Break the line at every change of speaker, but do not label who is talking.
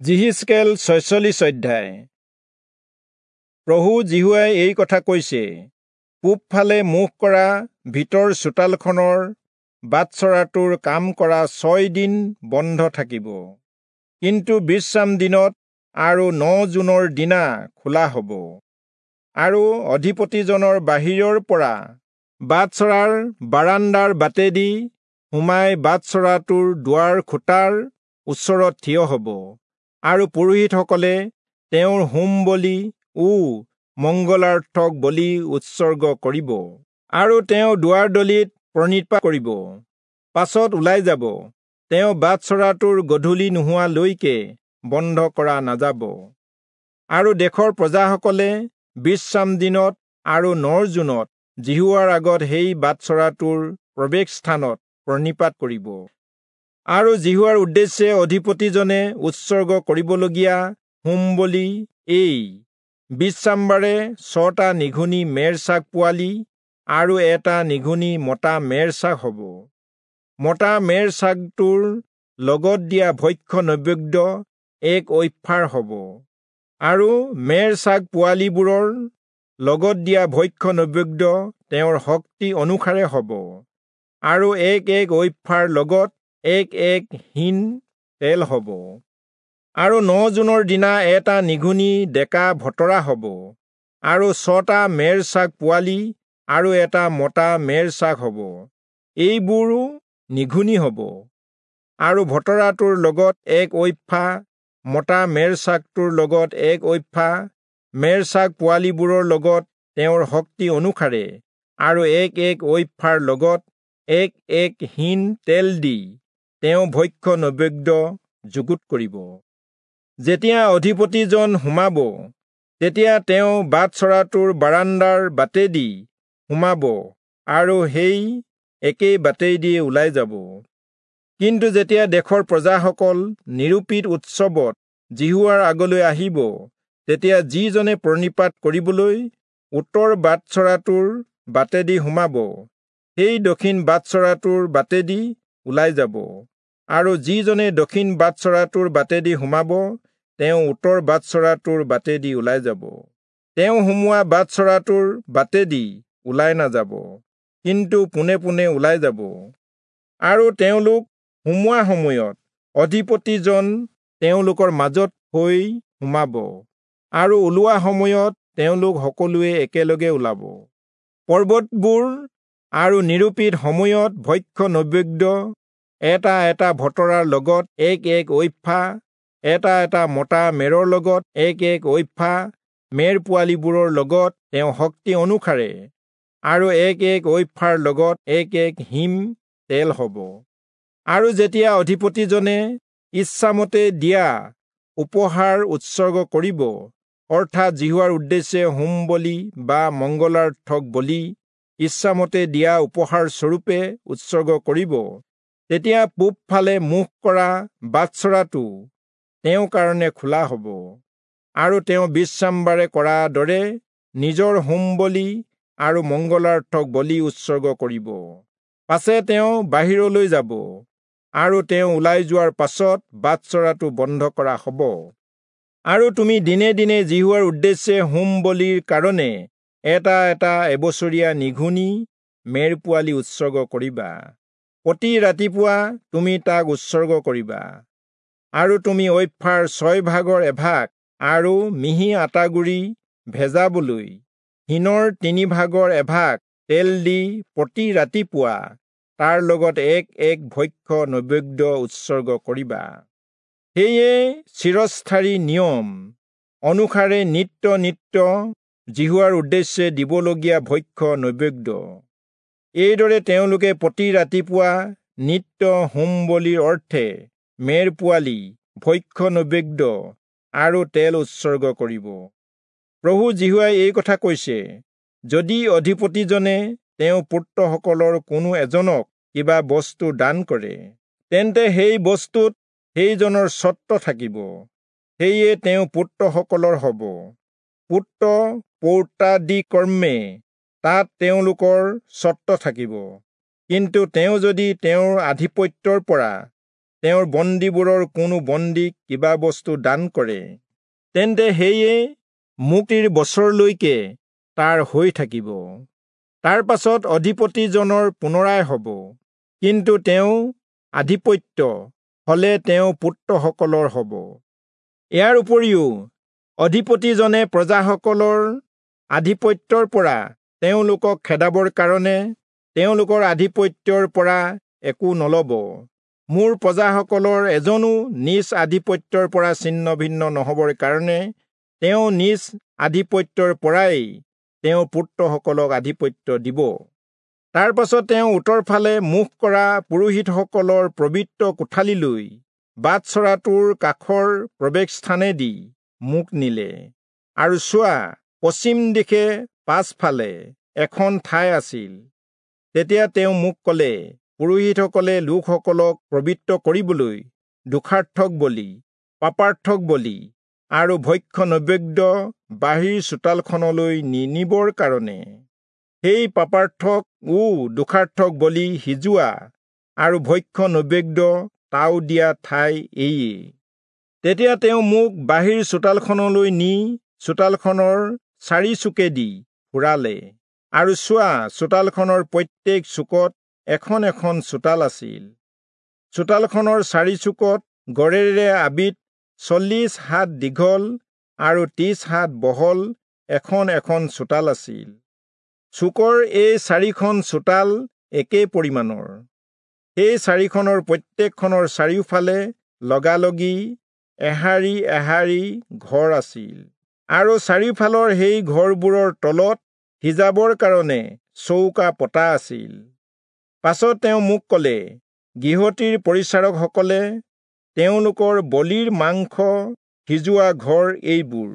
যিহিষ্কেল 46 অধ্যায়। প্ৰভু যিহোৱাই এই কথা কৈছে, পূবফালে মুখ কৰা ভিতৰ চোতালখনৰ বাটচৰাটোৰ কাম কৰা 6 দিন বন্ধ থাকিব, কিন্তু বিশ্ৰাম দিনত আৰু 9 জুনৰ দিনা খোলা হ'ব। আৰু অধিপতিজনৰ বাহিৰৰ পৰা বাটচৰাৰ বাৰাণ্ডাৰ বাটেদি সোমাই বাটচৰাটোৰ দুৱাৰ খুঁটাৰ ওচৰত থিয় হ'ব, আৰু পুৰোহিতসকলে তেওঁৰ হোম বলি ও মংগলাৰ্থক বলি উৎসৰ্গ কৰিব, আৰু তেওঁ দুৱাৰদলিত প্ৰণিপাত কৰিব, পাছত ওলাই যাব। তেওঁ বাটচৰাটোৰ গধূলি নোহোৱালৈকে বন্ধ কৰা নাযাব। আৰু দেশৰ প্ৰজাসকলে বিশ্ৰাম দিনত আৰু 9 জুনত যিহোৱাৰ আগত সেই বাটচৰাটোৰ প্ৰৱেশস্থানত প্ৰণিপাত কৰিব। আৰু যিহোৱাৰ উদ্দেশ্যে অধিপতিজনে উৎসৰ্গ কৰিবলগীয়া হোম বলি এই: বিশ্ৰামবাৰে 6টা নিঘুনি মেৰ ছাগ পোৱালি আৰু এটা নিঘুনি মতা মেৰ ছাগ হ'ব। মতা মেৰ ছাগটোৰ লগত দিয়া ভক্ষ্য নৈবেদ্য এক ঐফাৰ হ'ব, আৰু মেৰ ছাগ পোৱালিবোৰৰ লগত দিয়া ভক্ষ্য নৈবেদ্য তেওঁৰ শক্তি অনুসাৰে হ'ব, আৰু এক এক ঐফাৰ লগত এক এক হিন তেল হ'ব। আৰু 9 জুনৰ দিনা এটা নিঘুনি ডেকা ভতৰা হ'ব, আৰু 6টা মেৰ ছাগ পোৱালি আৰু এটা মতা মেৰ ছাগ হ'ব, এইবোৰো নিঘুনি হ'ব। আৰু ভতৰাটোৰ লগত এক ঐফা, মতা মেৰ ছাগটোৰ লগত এক ঐফা, মেৰ ছাগ পোৱালিবোৰৰ লগত তেওঁৰ শক্তি অনুসাৰে, আৰু এক এক ঐফাৰ লগত এক এক হিন তেল দি তেওঁ ভক্ষ্য নৈবেদ্য যুগুত কৰিব। যেতিয়া অধিপতিজন সোমাব, তেতিয়া তেওঁ বাটচৰাটোৰ বাৰাণ্ডাৰ বাটেদি সোমাব আৰু সেই একেই বাটেদি ওলাই যাব। কিন্তু যেতিয়া দেশৰ প্ৰজাসকল নিৰূপিত উৎসৱত যিহোৱাৰ আগলৈ আহিব, তেতিয়া যিজনে প্ৰণিপাত কৰিবলৈ উত্তৰ বাটচৰাটোৰ বাটেদি সোমাব, সেই দক্ষিণ বাটচৰাটোৰ বাটেদি ওলাই যাব, আৰু যিজনে দক্ষিণ বাটচৰাটোৰ বাটেদি সোমাব, তেওঁ উত্তৰ বাটচৰাটোৰ বাটেদি ওলাই যাব। তেওঁ সোমোৱা বাটচৰাটোৰ বাটেদি ওলাই নাযাব, কিন্তু পোনে পোনে ওলাই যাব। আৰু তেওঁলোক সোমোৱা সময়ত অধিপতিজন তেওঁলোকৰ মাজত হৈ সোমাব, আৰু ওলোৱা সময়ত তেওঁলোক সকলোৱে একেলগে ওলাব। পৰ্বতবোৰ আৰু নিৰূপিত সময়ত ভক্ষ্য নৈবেদ্য এটা এটা ভতৰাৰ লগত এক এক ঐফা, এটা এটা মতা মেৰৰ লগত এক এক ঐফা, মেৰ পোৱালিবোৰৰ লগত তেওঁ শক্তি অনুসাৰে, আৰু এক এক ঐফাৰ লগত এক এক হিম তেল হ'ব। আৰু যেতিয়া অধিপতিজনে ইচ্ছামতে দিয়া উপহাৰ উৎসৰ্গ কৰিব, অৰ্থাৎ যিহোৱাৰ উদ্দেশ্যে হোম বলি বা মংগলাৰ্থক বলি ইচ্ছামতে দিয়া উপহাৰ স্বৰূপে উৎসৰ্গ কৰিব, তেতিয়া পূবফালে মুখ কৰা বাটচৰাটো তেওঁৰ কাৰণে খোলা হ'ব, আৰু তেওঁ বিশ্ৰামবাৰে কৰা দৰে নিজৰ হোম বলি আৰু মংগলাৰ্থক বলি উৎসৰ্গ কৰিব। পাছে তেওঁ বাহিৰলৈ যাব, আৰু তেওঁ ওলাই যোৱাৰ পাছত বাটচৰাটো বন্ধ কৰা হ'ব। আৰু তুমি দিনে দিনে যিহোৱাৰ উদ্দেশ্যে হোম বলিৰ কাৰণে এটা এটা এবছৰীয়া নিঘুনি মেৰ পোৱালি উৎসৰ্গ কৰিবা। প্ৰতি ৰাতিপুৱা তুমি তাক উৎসৰ্গ কৰিবা। আৰু তুমি ঐফাৰ 6 ভাগৰ এভাগ আৰু মিহি আটাগুড়ি ভেজাবলৈ হিনৰ 3 ভাগৰ এভাগ তেল দি প্ৰতি ৰাতিপুৱা তাৰ লগত এক এক ভক্ষ্য নৈবেদ্য উৎসৰ্গ কৰিবা। সেয়ে চিৰস্থায়ী নিয়ম অনুসাৰে নিত্য নিত্য যিহোৱাৰ উদ্দেশ্যে দিবলগীয়া ভক্ষ্য নৈবেদ্য। এইদৰে তেওঁলোকে প্ৰতি ৰাতিপুৱা নিত্য হোম বলিৰ অৰ্থে মেৰ পোৱালি, ভক্ষ্য নৈবেদ্য আৰু তেল উৎসৰ্গ কৰিব। প্ৰভু যিহোৱাই এই কথা কৈছে, যদি অধিপতিজনে তেওঁ পুত্ৰসকলৰ কোনো এজনক কিবা বস্তু দান কৰে, তেন্তে সেই বস্তুত সেইজনৰ স্বত্ব থাকিব, সেয়ে তেওঁ পুত্ৰসকলৰ হ'ব। পুত্ৰ পৌত্ৰাদিকৰ্মে তাত তেওঁলোকৰ স্বত্ব থাকিব। কিন্তু তেওঁ যদি তেওঁৰ আধিপত্যৰ পৰা তেওঁৰ বন্দীবোৰৰ কোনো বন্দীক কিবা বস্তু দান কৰে, তেন্তে সেয়ে মুক্তিৰ বছৰলৈকে তাৰ হৈ থাকিব। তাৰ পাছত অধিপতিজনৰ পুনৰাই হ'ব, কিন্তু তেওঁ আধিপত্য হলে তেওঁ পুত্ৰসকলৰ হ'ব। ইয়াৰ উপৰিও অধিপতিজনে প্ৰজাসকলৰ আধিপত্যৰ পৰা তেওঁলোকক খেদাবৰ কাৰণে তেওঁলোকৰ আধিপত্যৰ পৰা একো নলব। মোৰ প্ৰজাসকলৰ এজনো নিজ আধিপত্যৰ পৰা ছিন্ন ভিন্ন নহবৰ কাৰণে তেওঁ নিজ আধিপত্যৰ পৰাই তেওঁৰ পুত্ৰসকলক আধিপত্য দিব। তাৰ পাছত তেওঁ উত্তৰফালে মুখ কৰা পুৰোহিতসকলৰ পবিত্ৰ কোঠালিলৈ বাটচৰাটোৰ কাষৰ প্ৰৱেশস্থানেদি মোক নিলে, আৰু চোৱা, পশ্চিম দিশে পাছফালে এখন ঠাই আছিল। তেতিয়া তেওঁ মোক ক'লে, পুৰোহিতসকলে লোকসকলক পবিত্ৰ কৰিবলৈ দোষাৰ্থক বলি, পাপাৰ্থক বলি আৰু ভক্ষ্য নৈবেদ্য বাহিৰ চোতালখনলৈ নিনিবৰ কাৰণে সেই পাপাৰ্থক ও দোষাৰ্থক বলি সিজোৱা আৰু ভক্ষ্য নৈবেদ্য তাও দিয়া ঠাই এয়ে। তেতিয়া তেওঁ মোক বাহিৰ চোতালখনলৈ নি চোতালখনৰ চাৰিচুকেদি ফুৰালে, আৰু চোৱা, চোতালখনৰ প্ৰত্যেক চুকত এখন এখন চোতাল আছিল। চোতালখনৰ চাৰিচুকত গড়েৰে আবিত 40 হাত দীঘল আৰু 30 হাত বহল এখন এখন চোতাল আছিল। চুকৰ এই চাৰিখন চোতাল একে পৰিমাণৰ। সেই চাৰিখনৰ প্ৰত্যেকখনৰ চাৰিওফালে লগালগি এহাৰি এহাৰি ঘৰ আছিল, আৰু চাৰিওফালৰ সেই ঘৰবোৰৰ তলত সিজাবৰ কাৰণে চৌকা পতা আছিল। পাছত তেওঁ মোক ক'লে, গৃহটিৰ পৰিচাৰকসকলে তেওঁলোকৰ বলিৰ মাংস সিজোৱা ঘৰ এইবোৰ।